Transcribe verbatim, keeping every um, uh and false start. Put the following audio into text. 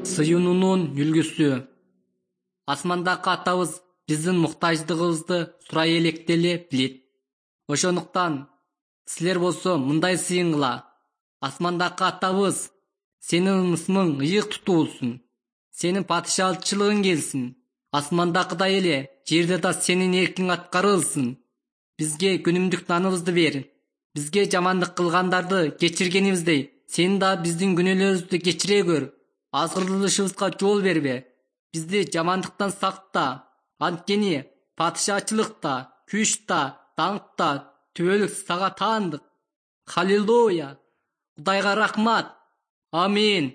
сыйынуунун үлгүсү. Асмандагы атабыз биздин муктаждыгыбызды сурай электе эле билет. Ошондуктан силер болсо мындай сыйынгыла: асмандагы атабыз, сенин ысмың ыйык тутулсун, сенин падышачылыгың келсин, асмандагыдай эле жерде да сенин эркиң аткарылсын. Бизге күнүмдүк наныбызды бер. Бизге жамандык кылгандарды кечиргенибиздей, сен да биздин күнөөлөрүбүздү кечире көр. Азгырылышыбызга жол бербе. Бизди жамандыктан сакта. Анткени падышачылык да, күч да, даңк да түбөлүк сага таандык. Халилуя! Кудайга рахмат. Амин.